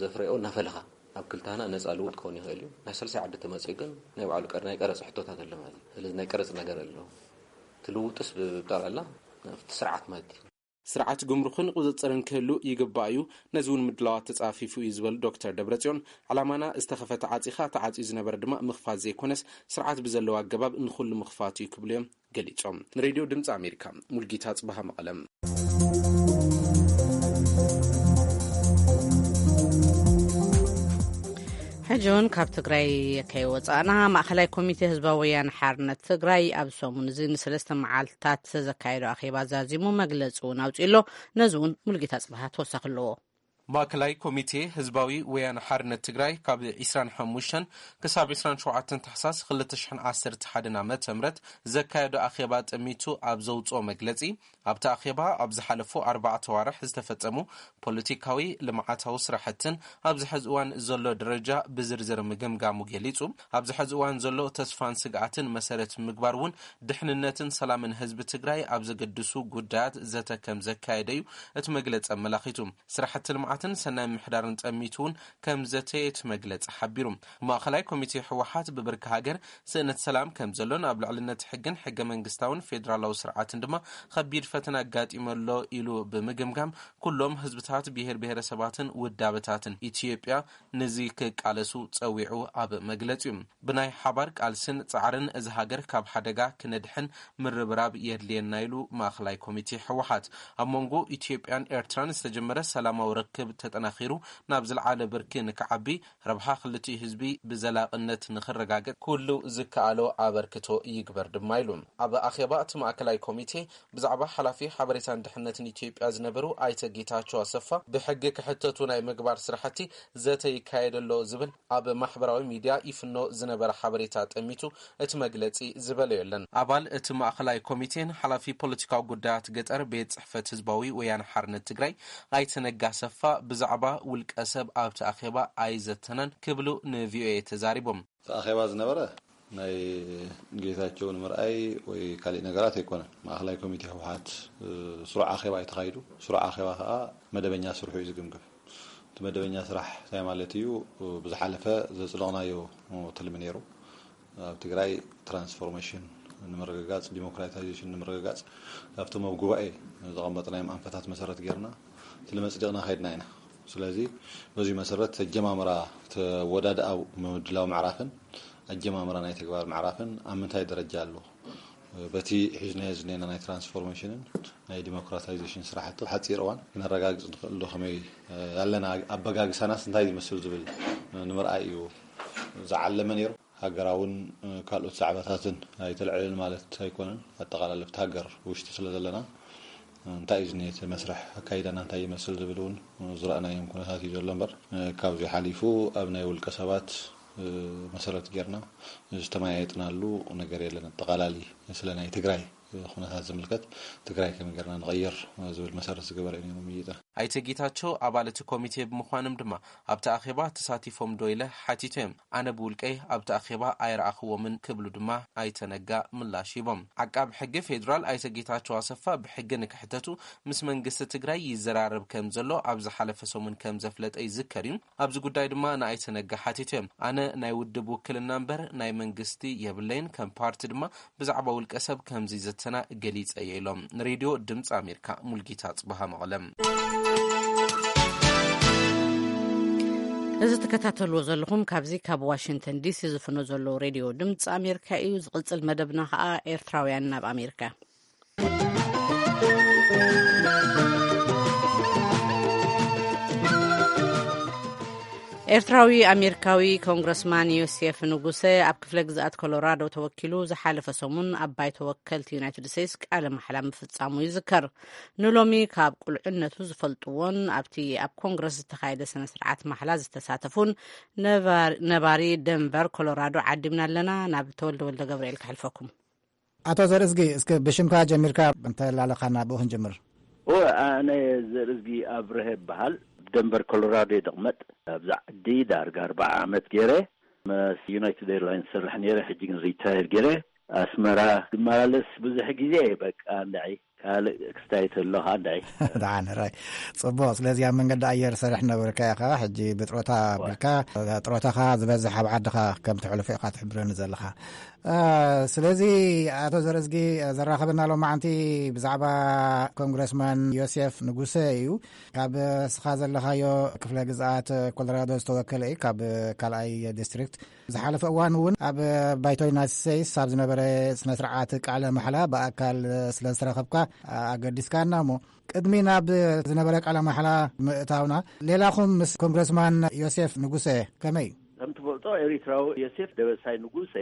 ዘፍረዮ እናፈለኻ ኣብ ክልተና ነፃ ልውጥ ክኸውን ይኽእል እዩ። ናይ ሳልሳይ ዓዲ ተመፅኡ ግን ናይ ባዕሉ ቀር-፣ ናይ ቀረፅ ሕቶታት ኣሎ ማለት እዩ። ስለዚ ናይ ቀረፅ ነገር ኣሎ። እቲ ልውጥስ ብጠቕላላ ናብቲ ስርዓት ማለት እዩ። ስርዓት ጉምሩኽን ቁፅፅርን ክህሉ ይግባእ እዩ። ነዚ እውን ምድላዋት ተፃፊፉ እዩ ዝበሉ ዶክተር ደብረፅዮን፣ ዕላማና ዝተኸፈተ ዓፂኻ፣ ተዓፅዩ ዝነበረ ድማ ምኽፋት ዘይኮነስ፣ ስርዓት ብዘለዎ ኣገባብ ንኹሉ ምኽፋት እዩ ክብሉ እዮም ገሊጾም። ንሬድዮ ድምፂ ኣሜሪካ፣ ሙልጌታ ጽባሃ፣ መቐለም። ሕጂ እውን ካብ ትግራይ ከይወፃእና፣ ማእኸላይ ኮሚቴ ህዝባዊ ወያነ ሓርነት ትግራይ ኣብ ሰሙን እዚ ንሰለስተ መዓልትታት ዘካየዶ ኣኼባ ዛዚሙ፣ መግለፂ እውን ኣውፂኡ ኣሎ። ነዚ እውን ሙልጌታ ጽባሃ ተወሳኺ ኣለዎ። ማእከላይ ኮሚቴ ህዝባዊ ወያነ ሓርነት ትግራይ ካብ ዕስራን ሓሙሽተን ክሳብ ዕስራን ሸውዓተን ታሕሳስ ክልተ ሽሕን ዓሰርተ ሓደን ዓመተ ምህረት ዘካየዶ ኣኼባ ጠሚቱ ኣብ ዘውፅኦ መግለፂ፣ ኣብቲ ኣኼባ ኣብ ዝሓለፉ ኣርባዕተ ዋርሕ ዝተፈጸሙ ፖለቲካዊ፣ ልምዓታዊ ስራሕትን ኣብዚ ሕዚ እዋን ዘሎ ደረጃ ብዝርዝር ምግምጋሙ ገሊጹ። ኣብዚ ሕዚ እዋን ዘሎ ተስፋን ስግኣትን መሰረት ምግባር እውን ድሕንነትን ሰላምን ህዝቢ ትግራይ ኣብ ዘገድሱ ጉዳያት ዘተ ከም ዘካየደ እዩ እቲ መግለጺ ኣመላኺቱ። ስራሕቲ ልምዓትን ሰናይ ምሕዳርን ጠሚቱ እውን ከም ዘተየ እቲ መግለጺ ሓቢሩ። ማእኸላይ ኮሚቴ ህወሓት ብብርኪ ሃገር ስእነት ሰላም ከም ዘሎን ኣብ ልዕልነት ሕግን ሕገ መንግስታውን ፌዴራላዊ ስርዓትን ድማ ከቢድ ፈተና ኣጋጢሙ ኣሎ ኢሉ ብምግምጋም፣ ኩሎም ህዝብታት፣ ብሄር ብሄረሰባትን ውዳበታትን ኢትዮጵያ ነዚ ክቃለሱ ጸዊዑ ኣብ መግለጺኡ። ብናይ ሓባር ቃልስን ጻዕርን እዚ ሃገር ካብ ሓደጋ ክነድሕን ምርብራብ የድልየና ኢሉ ማእኸላይ ኮሚቴ ህወሓት። ኣብ መንጎ ኢትዮጵያን ኤርትራን ዝተጀመረ ሰላማዊ ርክብ ተጠናኺሩ ናብ ዝለዓለ ብርኪ ንክዓቢ፣ ረብሓ ክልቲኡ ህዝቢ ብዘላቕነት ንክረጋገጥ ኩሉ ዝከኣሎ ኣበርክቶ ይግበር ድማ ኢሉ። ኣብ ኣኼባ እቲ ማእከላይ ኮሚቴ ብዛዕባ ሓላፊ ሓበሬታን ድሕነትን ኢትዮጵያ ዝነበሩ ኣይተ ጌታቸው ኣሰፋ ብሕጊ ክሕተቱ ናይ ምግባር ስራሕቲ ዘተ ይካየድ ኣሎ ዝብል ኣብ ማሕበራዊ ሚድያ ይፍኖ ዝነበረ ሓበሬታ ጠሚቱ እቲ መግለጺ ዝበሎ የለን። ኣባል እቲ ማእኸላይ ኮሚቴን ሓላፊ ፖለቲካዊ ጉዳያት ገጠር ቤት ጽሕፈት ህዝባዊ ወያነ ሓርነት ትግራይ ኣይተ ነጋ ኣሰፋ ብዛዕባ ውልቀ ሰብ ኣብቲ ኣኼባ ኣይዘተናን ክብሉ ንቪኦኤ ተዛሪቦም። እቲ ኣኼባ ዝነበረ ናይ ጌታቸው ንምርኣይ ወይ ካሊእ ነገራት ኣይኮነን። ማእኸላይ ኮሚቴ ህወሓት፣ እ፣ ስሩዕ ኣኼባ እዩ ተኻይዱ። ስሩዕ ኣኼባ ከዓ መደበኛ ስርሑ እዩ ዝግምግም። እቲ መደበኛ ስራሕ እንታይ ማለት እዩ? ብዝሓለፈ ዘጽደቕናዮ ትልሚ ነይሩ። ኣብ ትግራይ ትራንስፎርሜሽን ንምርግጋጽ፣ ዲሞክራታይዜሽን ንምርግጋጽ፣ ካብቶም ኣብ ጉባኤ ዘቐመጥናዮም ኣንፈታት መሰረት ጌርና ትልሚ ኣጽዲቕና ከይድና ኢና። ስለዚ በዚ መሰረት ኣጀማምራ፣ ተወዳድኣው ምድላው ምዕራፍን ኣጀማምራ ናይ ተግባር ምዕራፍን ኣብ ምንታይ ደረጃ ኣሎ? በቲ ሒዝናዮ ዝኔና ናይ ትራንስፎርሜሽንን ናይ ዲሞክራታይዜሽን ስራሕቲ ሓፂር እዋን ክነረጋግፅ ንኽእል ዶ? ከመይ፣ እ፣ ያለና ኣበጋግሳናስ እንታይ ዝመስል ዝብል፣ እ፣ ንምርኣይ እዩ ዝዓለመ ነይሩ። ሃገራውን፣ እ፣ ካልኦት ዛዕባታትን ኣይተልዕልን ማለት ኣይኮነን። ኣጠቓላሊ ኣብቲ ሃገር ውሽጢ ስለ ዘለና፣ እ፣ እንታይ እዩ ዝኔ እቲ መስርሕ ኣካይዳና እንታይ ይመስል ዝብል እውን፣ እ፣ ዝረኣናዮም ኩነታት እዩ ዘሎ እምበር፣ እ፣ ካብዚ ሓሊፉ ኣብ ናይ ውልቀ ሰባት፣ እ፣ መሰረት ጌርና ዝተመያየጥናሉ ነገር የለን። ኣጠቓላሊ ስለ ናይ ትግራይ ኩነታት ዝምልከት ትግራይ ከመይ ጌርና ንቐይር ዝብል መሰረት ዝገበረ እዩ ነይሩ ምይይጥና። ኣይተ ጌታቸው ኣባል እቲ ኮሚቴ ብምዃኖም ድማ ኣብቲ ኣኼባ ተሳቲፎም ዶ ኢለ ሓቲተ እዮም። ኣነ ብውልቀይ ኣብቲ ኣኼባ ኣይረኣኽዎምን ክብሉ ድማ ኣይተ ነጋ ምላሽ ሂቦም። ዓቃብ ሕጊ ፌዴራል ኣይተ ጌታቸው ኣሰፋ ብሕጊ ንክሕተቱ ምስ መንግስቲ ትግራይ ይዘራረብ ከም ዘሎ ኣብ ዝሓለፈ ሰሙን ከም ዘፍለጠ ይዝከር እዩ። ኣብዚ ጉዳይ ድማ ንኣይተ ነጋ ሓቲተ እዮም። ኣነ ናይ ውድብ ውክልና እምበር ናይ መንግስቲ የብለይን፣ ከም ፓርቲ ድማ ብዛዕባ ውልቀ ሰብ ከምዚ ዘተና ገሊጸ እየ ኢሎም። ንሬድዮ ድምፂ ኣሜሪካ ሙልጌታ ጽበሃ መቐለም። እዚ ትከታተልዎ ዘለኹም ካብዚ ካብ ዋሽንግተን ዲሲ ዝፍኖ ዘሎ ሬድዮ ድምፂ ኣሜሪካ እዩ። ዝቕጽል መደብና ኸኣ ኤርትራውያን ናብ ኣሜሪካ። ኤርትራዊ ኣሜሪካዊ ኮንግረስማን ዮሴፍ ንጉሰ ኣብ ክፍለ ግዝኣት ኮሎራዶ ተወኪሉ ዝሓለፈ ሰሙን ኣብ ባይቶ ወከልቲ ዩናይትድ ስቴትስ ቃለ ማሕላ ምፍጻሙ ይዝከር። ንሎሚ ካብ ቁልዕነቱ ዝፈልጥዎን ኣብቲ ኣብ ኮንግረስ ዝተኻየደ ስነ ስርዓት ማሕላ ዝተሳተፉን ነባሪ፣ ነባሪ ደንቨር ኮሎራዶ ዓዲምና ኣለና። ናብ ተወልደ ወልደ ገብርኤል ከሕልፈኩም። ኣቶ ዘርእዝጊ፣ እስከ ብሽምካ ጀሚርካ እንተ ላለኻ ናብኡ ክንጅምር። እወ፣ ኣነ ዘርእዝጊ ኣብርሀ እበሃል። ደንቨር ኮሎራዶ እየ ዝቕመጥ። ኣብዚ ዓዲ ዳርጋ ኣርብዓ ዓመት ገይረ። ምስ ዩናይትድ ኤርላይንስ ዝሰርሕ ነይረ፣ ሕጂ ግን ሪታየር ገይረ። ኣስመራ ዝመላለስ ብዙሕ ግዜ እየ። በቃ፣ እንድዒ ካልእ ክስታይ ተሎ ኸዓ፣ እንድዒ። ደሓን፣ ራይ። ጽቡቕ። ስለዚ ኣብ መንገዲ ኣየር ሰርሕ ነበርካ ኢኻ። ሕጂ ብጥሮታ እወ። ኣቢልካ፣ ጥሮታኻ ዝበዝሕ ኣብ ዓድኻ ከም ተሕልፎ ኢኻ ትሕብረኒ ዘለኻ። ስለዚ ኣቶ ዘርእዝጊ፣ ዘራኸበና ሎማዓንቲ ብዛዕባ ኮንግረስማን ዮሴፍ ንጉሰ እዩ። ካብ ስኻ ዘለኻዮ ክፍለ ግዝኣት ኮሎራዶ ዝተወከለ እዩ፣ ካብ ካልኣይ ዲስትሪክት። ዝሓለፈ እዋን እውን ኣብ ባይቶ ዩናይትድ ስቴትስ ኣብ ዝነበረ ስነ ስርዓት ቃለ ማሕላ ብኣካል ስለ ዝተረኸብካ ኣገዲስካና። እሞ ቅድሚ ናብ ዝነበረ ቃለ ማሕላ ምእታውና፣ ሌላኹም ምስ ኮንግረስማን ዮሴፍ ንጉሰ ከመይ? ከም ትፈልጦ፣ ኤሪትራዊ ዮሴፍ ደበሳይ ንጉሰ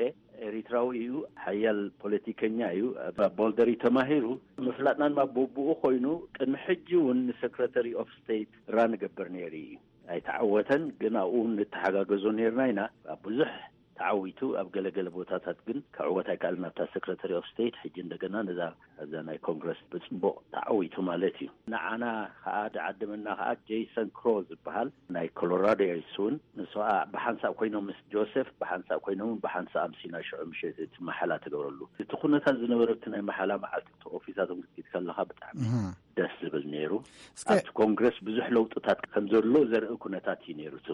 ኤሪትራዊ እዩ። ሓያል ፖለቲከኛ እዩ። ኣብ ቦልደር እዩ ተማሂሩ። ምፍላጥና ድማ ብብኡ ኮይኑ፣ ቅድሚ ሕጂ እውን ንሰክረተሪ ኦፍ ስቴት ራን እገብር ነይሩ እዩ። ኣይተዓወተን፣ ግን ኣብኡ እውን ንተሓጋገዞ ነይርና ኢና። ኣብ ብዙሕ ተዓዊቱ፣ ኣብ ገለገለ ቦታታት ግን ክዕወት ኣይከኣልን። ኣብታ ሰክረተሪ ኦፍ ስቴት፣ ሕጂ እንደገና ነዛ ኣብዛ ናይ ኮንግረስ ብጽቡቕ ተዓዊቱ ማለት እዩ። ንዓና ከኣ ዝዓደመና ከኣ ጄይሰን ክሮ ዝበሃል ናይ ኮሎራዶ እዩ። ንሱ እውን፣ ንሱ ከኣ ብሓንሳእ ኮይኖም ምስ ጆሴፍ ብሓንሳእ ኮይኖም ብሓንሳእ ኣምሲና ሽዑ ምሸት እቲ መሓላ ተገብረሉ። እቲ ኩነታት ዝነበረ፣ እቲ ናይ መሓላ መዓልቲ፣ እቲ ኦፊሳቶም ክትከይድ ከለኻ ብጣዕሚ እህ። ደስ ዝብል ነይሩ። እስከ ኣብቲ ኮንግረስ ብዙሕ ለውጥታት ከም ዘሎ ዘርኢ ኩነታት እዩ ነይሩ፣ እቲ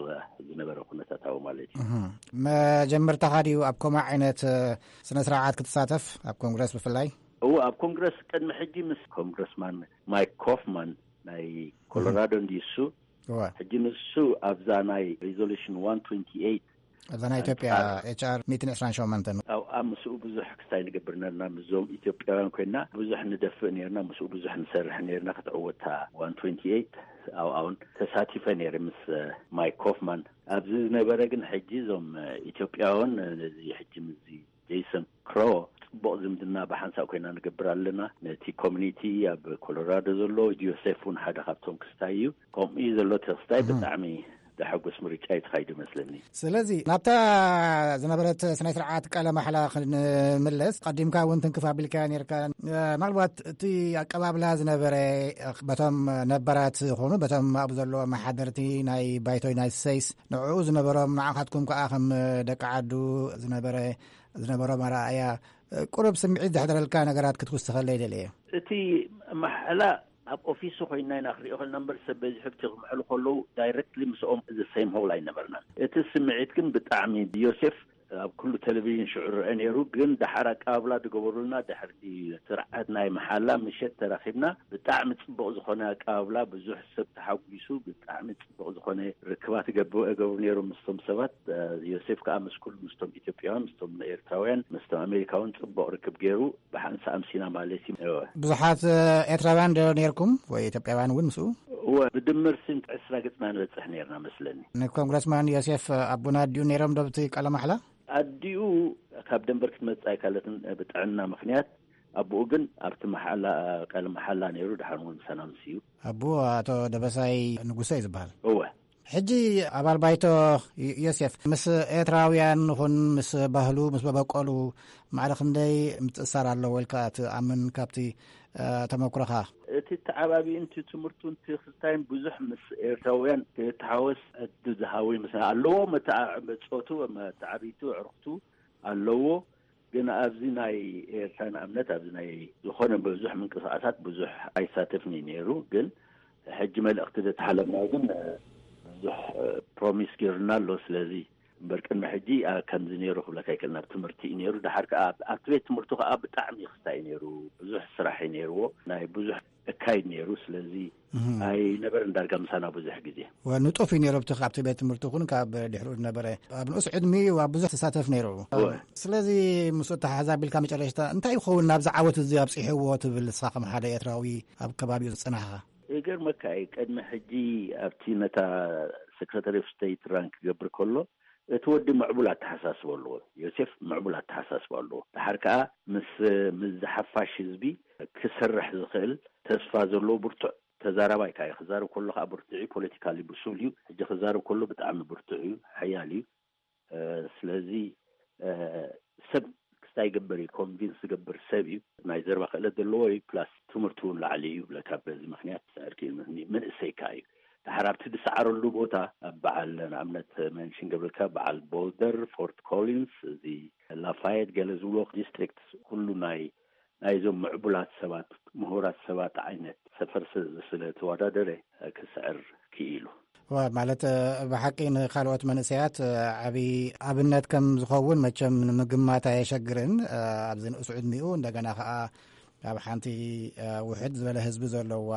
ዝነበረ ኩነታታዊ ማለት እዩ። እህ። መጀመርታኻ ድዩ ኣብ ከምኡ ዓይነት ስነ ስርዓት ክትሳተፍ፣ ኣብ ኮንግረስ ብፍላይ? እዎ፣ ኣብ ኮንግረስ ቅድሚ ሕጂ ምስ ኮንግረስማን ማይክ ኮፍማን ናይ ኮሎራዶ እንዲሱ፣ እወ። ሕጂ ንሱ ኣብዛ ናይ ሪዞሉሽን ዋን ትዌንቲ ኤይት ኣብዛ ናይ ኢትዮጵያ፣ ኣንጻር ኤች ኣር ሚእትን ዕስራን ሸሞንተን። ኣብኣ ምስኡ ብዙሕ ክስታይ ንገብር ነርና፣ ምስዞም ኢትዮጵያውያን ኮይና ብዙሕ ንደፍእ ነርና፣ ምስኡ ብዙሕ ንሰርሕ ነርና። ክትዕወታ ዋን ትዌንቲ ኤይት ኣብኣውን ተሳቲፈ ነይረ ምስ ማይክ ኮፍማን። ኣብዚ ዝነበረ ግን ሕጂ እዞም ኢትዮጵያውያን ነዚ ሕጂ ምስዚ ጄይሰን ክሮ ጽቡቕ ዝምድና ብሓንሳእ ኮይና ንገብር ኣለና። ነቲ ኮሚኒቲ ኣብ ኮሎራዶ ዘሎ፣ ዮሴፍ እውን ሓደ ካብቶም ክስታይ እዩ። ከምኡ እዩ ዘሎ እቲ ክስታይ። እህ። ብጣዕሚ ዘሐጉስ ምርጫ እዩ ተኻይዱ መስለኒ። ስለዚ ናብታ ዝነበረት ስነ ስርዓት ቃለ ማሕላ ክንምለስ፣ ቀዲምካ እውን ትንክፍ ኣቢልካ ነርካ። ምናልባት እቲ ኣቀባብላ ዝነበረ በቶም ነባራት ዝኾኑ፣ በቶም ኣብኡ ዘለዉ ኣመሓደርቲ ናይ ባይቶ ዩናይትድ ስቴትስ፣ ንዕኡ ዝነበሮም፣ ንዓኻትኩም ከኣ ከም ደቂ ዓዱ ዝነበረ ዝነበሮም ኣረኣእያ፣ ቁሩብ ስምዒት ዘሕደረልካ ነገራት ክትውስኸለይ ደልየ። እቲ ማሕላ ኣብ ኦፊሱ ኮይና ኢና ክሪኦ ከለና እምበር፣ ሰብ በዚሑ ኣብቲ ክምሕሉ ከለዉ ዳይረክትሊ ምስኦም ዘ ሴም ሆል ኣይነበርናን። እቲ ስምዒት ግን ብጣዕሚ፣ ዮሴፍ ኣብ ኩሉ ቴሌቪዥን ሽዑ ረአ ነይሩ፣ ግን ደሓር ኣቀባብላ ዝገበሩልና፣ ድሕሪ ስርዓት ናይ መሓላ ምሸት ተራኺብና፣ ብጣዕሚ ጽቡቕ ዝኾነ ኣቀባብላ፣ ብዙሕ ሰብ ተሓጒሱ፣ ብጣዕሚ ጽቡቕ ዝኾነ ርክባት ይገብሩ፣ ይገብሩ ነይሮም ምስቶም ሰባት። ዮሴፍ ከኣ ምስ ኩሉ፣ ምስቶም ኢትዮጵያውያን፣ ምስቶም ኤርትራውያን፣ ምስቶም ኣሜሪካውን ጽቡቕ ርክብ ገይሩ፣ ብሓንሳእ ኣምሲና ማለት እዩ። እወ። ብዙሓት ኤርትራውያን ዶ ነይርኩም ወይ ኢትዮጵያውያን እውን ምስኡ? እወ፣ ብድምር ስንት ዕስራ ገጽና ንበጽሕ ነይርና መስለኒ። ንኮንግረስማን ዮሴፍ ኣቡና ድዩ ነይሮም ዶ ኣብቲ ቃለ ማሕላ? ኣዲኡ ካብ ደንበር ክትመጽእ ኣይካለትን ብጥዕና ምኽንያት። ኣቦኡ ግን ኣብቲ መሓላ፣ ቃለ መሓላ ነይሩ፣ ድሓር እውን ምሳና ኣምስዩ። ኣቦኡ ኣቶ ደበሳይ ንጉሰ እዩ ዝበሃል። እወ። ሕጂ ኣባል ባይቶ ዮሴፍ፣ ምስ ኤርትራውያን ይኹን ምስ ባህሉ፣ ምስ መበቆሉ ማዕረ ክንደይ ምትእስሳር ኣለዎ ኢልካ ትኣምን ካብቲ፣ እ፣ ተመኩሮኻ? እቲ ተዓባቢኡን እቲ ትምህርቱን እቲ ክስታይን ብዙሕ ምስ ኤርትራውያን ክተሓወስ ዕድል ዝሃቦ ይመስለኒ። ኣለዎ፣ መተዓ-፣ ጾቱ፣ መተዓብይቱ፣ ኣዕሩኽቱ ኣለዎ። ግን ኣብዚ ናይ ኤርትራ ንኣብነት፣ ኣብዚ ናይ ዝኾነ ብዙሕ ምንቅስቓሳት ብዙሕ ኣይሳተፍን እዩ ነይሩ። ግን ሕጂ መልእኽቲ ዘተሓለፍና ግን ብዙሕ ፕሮሚስ ገይሩና ኣሎ። ስለዚ እምበር ቅድሚ ሕጂ፣ አ፣ ከምዚ ነይሩ ክብለካ ኣይክእልን። ኣብ ትምህርቲ እዩ ነይሩ። ድሓር ከኣ ኣብ፣ ኣብቲ ቤት ትምህርቱ ከኣ ብጣዕሚ ክስታይ እዩ ነይሩ። ብዙሕ ስራሕ እዩ ነይርዎ። ናይ ብዙሕ እካይድ ነይሩ። ስለዚ እህ። ኣይነበረን ዳርጋ ምሳና ብዙሕ ግዜ። ወ-፣ ንጡፍ እዩ ነይሩ። ኣብቲ፣ ካብቲ ቤት ትምህርቲ ይኹን ካብ ድሕሪኡ ዝነበረ፣ ኣብ ንኡስ ዕድሚኡ ኣብ ብዙሕ ተሳተፍ ነይሩ። እወ። ስለዚ ምስኡ ተሓዛቢልካ መጨረሽታ እንታይ ይኸውን ናብዚ ዓወት እዚ ኣብጺሕዎ ትብል ንስኻ ከም ሓደ ኤርትራዊ ኣብ ከባቢኡ ዝጸናሕኻ? ይገርመካ እዩ፣ ቅድሚ ሕጂ ኣብቲ ነታ ሰክረታሪ ኦፍ ስቴት ራን ክገብር ከሎ፣ እቲ ወዲ ምዕቡል ኣተሓሳስባ ኣለዎ። ዮሴፍ ምዕቡል ኣተሓሳስባ ኣለዎ። ድሓር ከኣ ምስ፣ ምስ ዝሓፋሽ ህዝቢ ክሰርሕ ዝኽእል ተስፋ ዘለዎ ብርቱዕ ተዛራባይ ከኣ እዩ። ክዛረብ ከሎ ከኣ ብርቱዕ እዩ፣ ፖለቲካሊ ብሱል እዩ። ሕጂ ክዛረብ ከሎ ብጣዕሚ ብርቱዕ እዩ፣ ሓያል እዩ። እ፣ ስለዚ፣ እ፣ ሰብ ክስታይ ይገብር እዩ፣ ኮንቪንስ ዝገብር ሰብ እዩ። ናይ ዘረባ ክእለት ዘለዎ እዩ፣ ፕላስ ትምህርቱ እውን ላዕሊ እዩ ብለካ። በዚ ምኽንያት ክስዕር ክኢሉ፣ ምኽንያቱ መንእሰይ ከኣ እዩ። ድሓር ኣብቲ ዝሰዓረሉ ቦታ ኣብ በዓል፣ ንኣብነት መንሽን ገብርልካ፣ በዓል ቦልደር፣ ፎርት ኮሊንስ፣ እዚ ላፋየት፣ ገለ ዝብሎ ዲስትሪክት፣ ኩሉ ናይ፣ ናይዞም ምዕቡላት ሰባት፣ ምሁራት ሰባት ዓይነት ሰፈር ስ-፣ ስለ ተወዳደረ ክስዕር ክኢሉ። እዋ፣ ማለት፣ እ፣ ብሓቂ ንኻልኦት መንእሰያት፣ እ፣ ዓቢ ኣብነት ከም ዝኸውን መቸም ንምግማት ኣየሸግርን። እ፣ ኣብዚ ንእሱ ዕድሚኡ እንደገና ኸኣ ኣብ ሓንቲ፣ እ፣ ውሕድ ዝበለ ህዝቢ ዘለዋ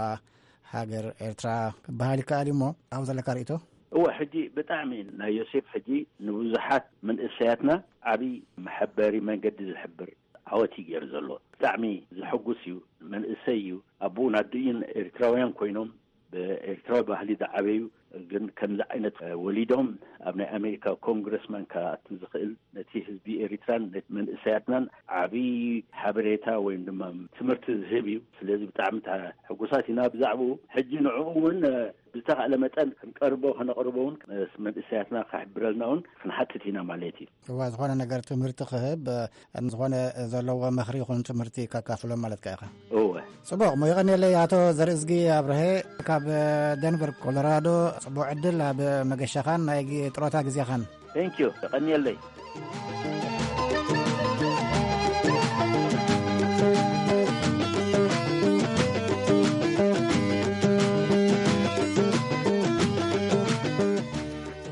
ሃገር ኤርትራ ክበሃል ይከኣል እዩ እሞ፣ ኣብኡ ዘለካ ርእይቶ? እወ፣ ሕጂ ብጣዕሚ ናይ ዮሴፍ ሕጂ ንብዙሓት መንእሰያትና ዓቢ መሐበሪ መንገዲ ዝሕብር ዓወት እዩ ገይሩ ዘሎ። ብጣዕሚ ዘሐጉስ እዩ። መንእሰይ እዩ። ኣቦኡን ኣዲኡን ኤርትራውያን ኮይኖም ብኤርትራዊ ባህሊ ዝዓበዩ፣ ግን ከምዚ ዓይነት ወሊዶም ኣብ ናይ ኣሜሪካ ኮንግረስማን ክኣቱ ዝኽእል ነቲ ህዝቢ ኤሪትራን ነቲ መንእሰያትናን ዓብዪ ሓበሬታ ወይም ድማ ትምህርቲ ዝህብ እዩ። ስለዚ ብጣዕሚ ሕጉሳት ኢና ብዛዕባኡ። ሕጂ ንዕኡ እውን ብዝተኻእለ መጠን ክንቀርቦ፣ ከነቕርቦ እውን መንእሰያትና ክሕብረልና እውን ክንሓትት ኢና ማለት እዩ። እዋ፣ ዝኾነ ነገር ትምህርቲ ክህብ፣ እ፣ ዝኾነ ዘለዎ ምኽሪ ይኹን ትምህርቲ ከካፍሎም ማለትካ ኢኻ። እወ። ጽቡቕ፣ እሞ የቐንየለይ ኣቶ ዘርእዝጊ ኣብርሀ ካብ ደንቨር ኮሎራዶ። ጽቡቕ ዕድል ኣብ መገሻኻን ናይ ግ-፣ ጥሮታ ግዜኻን። Thank you፣ የቐንየለይ።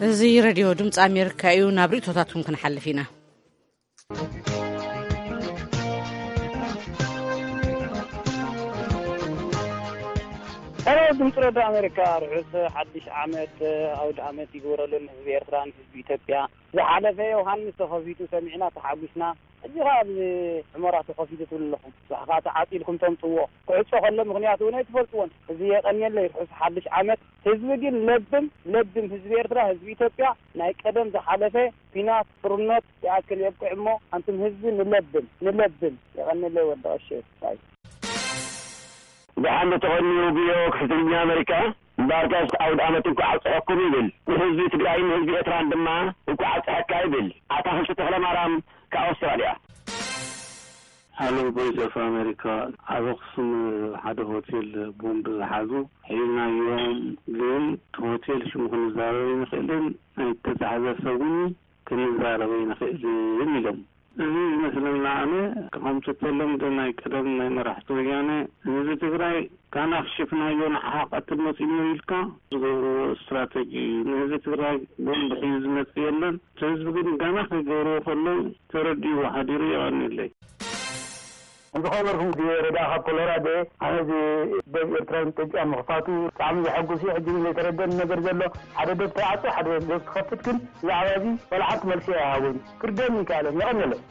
እዚ ሬድዮ ድምፂ ኣሜሪካ እዩ። ናብ ርእቶታትኩም ክንሓልፍ ኢና። ሰላም ድምፂ ሬድዮ ኣሜሪካ፣ ርሑስ ሓድሽ ዓመት፣ ኣውደ ዓመት ይግበረሉ ንህዝቢ ኤርትራን ህዝቢ ኢትዮጵያ። ዝሓለፈ ዮሃንስ ተኸፊቱ ሰሚዕና ተሓጒስና፣ ሕጂ ኸዓ ኣብዚ ሑመራ ተኸፊቱ ትብሉ ኣለኹም። ንስኻ ተዓፂልኩም ተምፅዎ ክዕፆ ከሎ ምኽንያት እውን ኣይትፈልጥዎን። እዚ የቐንየለይ፣ ርሑስ ሓድሽ ዓመት። ህዝቢ ግን ለብም፣ ለብም ህዝቢ ኤርትራ፣ ህዝቢ ኢትዮጵያ ናይ ቀደም ዝሓለፈ ኲናት፣ ጥርነት ይኣክል የብቅዕ እሞ፣ ኣንቱም ህዝቢ ንለብም፣ ንለብም። የቐንየለይ ወዲ ቀሺ። ባይ። ደሓን ተቐንዩ ብዮ ክሕትልኛ ኣመሪካ። እምበኣርካስ ኣውድ ዓመት እንኳዕ ኣብፀሐኩም ይብል። ንህዝቢ ትግራይን ንህዝቢ ኤርትራን ድማ እንኳዕ ኣብፀሐካ ይብል። ኣታኽልቲ ተኽለ ማርያም ካብ ኣውስትራልያ። ሃሎ ቮይስ ኦፍ ኣሜሪካ፣ ኣብ ኣኽሱም ሓደ ሆቴል ቦምብ ዝሓዙ ሒዝናዮም፣ ግን እቲ ሆቴል ሽሙ ክንዛረብ ኣይንኽእልን፣ ናይ ተታሕዘ ሰብ እውን ክንዛረብ ኣይንኽእልን ኢሎም። እዚ ዝመስለና ኣነ፣ ከምቲ ተለምዶ ናይ ቀደም ናይ መራሕቲ ወያነ፣ ህዝቢ ትግራይ ካና ክሽፍናዮ ንዓኻ ቀትል መፂኡ ኢልካ ዝገብርዎ ስትራተጂ እዩ። ንህዝቢ ትግራይ ቦምብ ሒዙ ዝመፅእ የለን። እቲ ህዝቢ ግን ጋና ከይገብርዎ ከለዉ ተረዲእዎ ሓዲሩ። የቐንየለይ። ዝኸበርኩም ቪኦኤ ረዳ ካብ ኮሎራዶ፣ ኣነ እዚ ዶብ ኤርትራን ኢትዮጵያ ምኽፋቱ ብጣዕሚ ዘሐጉስ እዩ። ሕጂ ግን ዘይተረደኒ ነገር ዘሎ፣ ሓደ ዶብ ተዓጾ፣ ሓደ ዶብ ክኸፍት፣ ግን ብዛዕባ እዚ ዋላ ሓንቲ መልሲ ኣይሃቦን። ክርደኒ ይከኣለን። የቐንየለይ።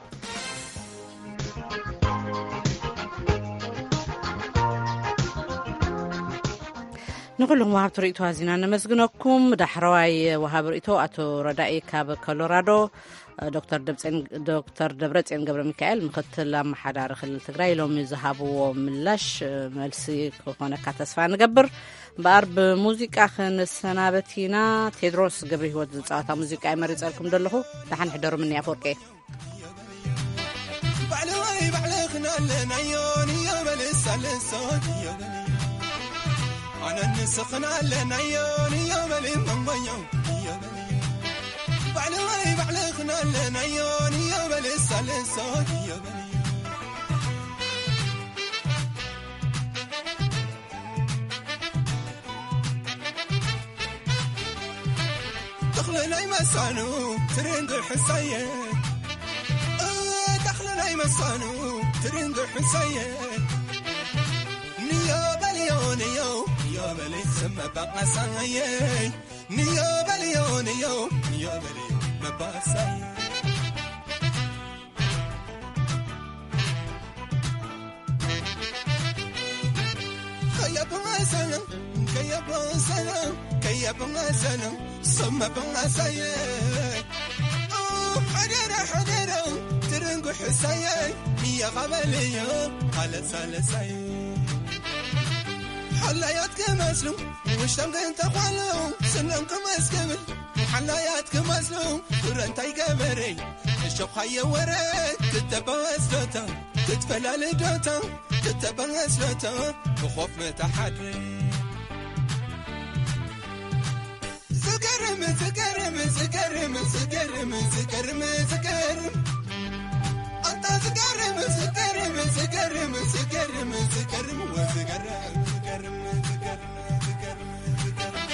ንኹሉም ወሃብቲ ርእይቶ ኣዚና ነመስግነኩም። ዳሕረዋይ ወሃቢ ርእይቶ ኣቶ ረዳኢ ካብ ኮሎራዶ፣ ዶክተር ደብረጽዮን፣ ዶክተር ደብረጽዮን ገብረ ሚካኤል፣ ምክትል ኣመሓዳሪ ክልል ትግራይ፣ ሎሚ ዝሃብዎ ምላሽ፣ መልሲ ክኾነካ ተስፋ ንገብር። እምበኣር ብሙዚቃ ክንሰናበት ኢና። ቴድሮስ ገብረ ህይወት ዝፃወታ ሙዚቃ እየ መሪፀልኩም ዘለኹ። ደሓን ሕደሩ። ምንያ ኣፈወርቂ። ባዕለዋይ ባዕለኽን ኣለናዮ ንዮ በል ሳልሶ ንዮ በል። ኣነን ንስኽን ኣለናዮ ንዮ በል መንጎዮ ንዮ በል። ባዕለዋይ ባዕለኽን ኣለናዮ ንዮ በል ሳልሶ ንዮ በል። ተኽለ ናይ መሳኑ ትርንግ ሕሳየ፣ እ፣ ተኽለ ናይ መሳኑ ትርንግ ሕሳየ። ንዮ በልዮ ንዮ፣ ንዮ በል ስመ በቃሳየ። ንዮ በልዮ ንዮ፣ ንዮ በልዮ መባሳየ። ከየበሰነ፣ ከየበሰነ፣ ከየበሰነ፣ ሰመበሰየ። ኦ፣ ሓደረ፣ ሓደረ፣ ትርንጉ ሕሳየ፣ ንየቐበልዮ፣ ኣለሳለሳየ። ሓላያት ክመስሉ፣ ውሽጦም ግን ተኳሉ፣ ስኖም ክመስክብል፣ ሓላያት ክመስሉ፣ ፍረ እንታይ ገበረ? እሾኻየ ወረ፣ ክትበስሎታ፣ ክትፈላልዶታ፣ ክትበስሎታ፣ ብኾፍ መታሓድረ። ዝገርም፣ ዝገርም፣ ዝገርም፣ ዝገርም፣ ዝገርም፣ ዝገርም። ኣታ ዝገርም፣ ዝገርም፣ ዝገርም፣ ዝገርም፣ ዝገርም፣ ወዝገርም፣ ዝገርም፣ ዝገርም፣ ዝገርም፣ ዝገርም።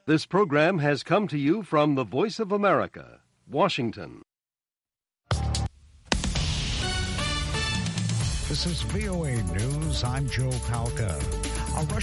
This program has come to you from the Voice of America, Washington. This is V O A News. I'm Joe Palca. A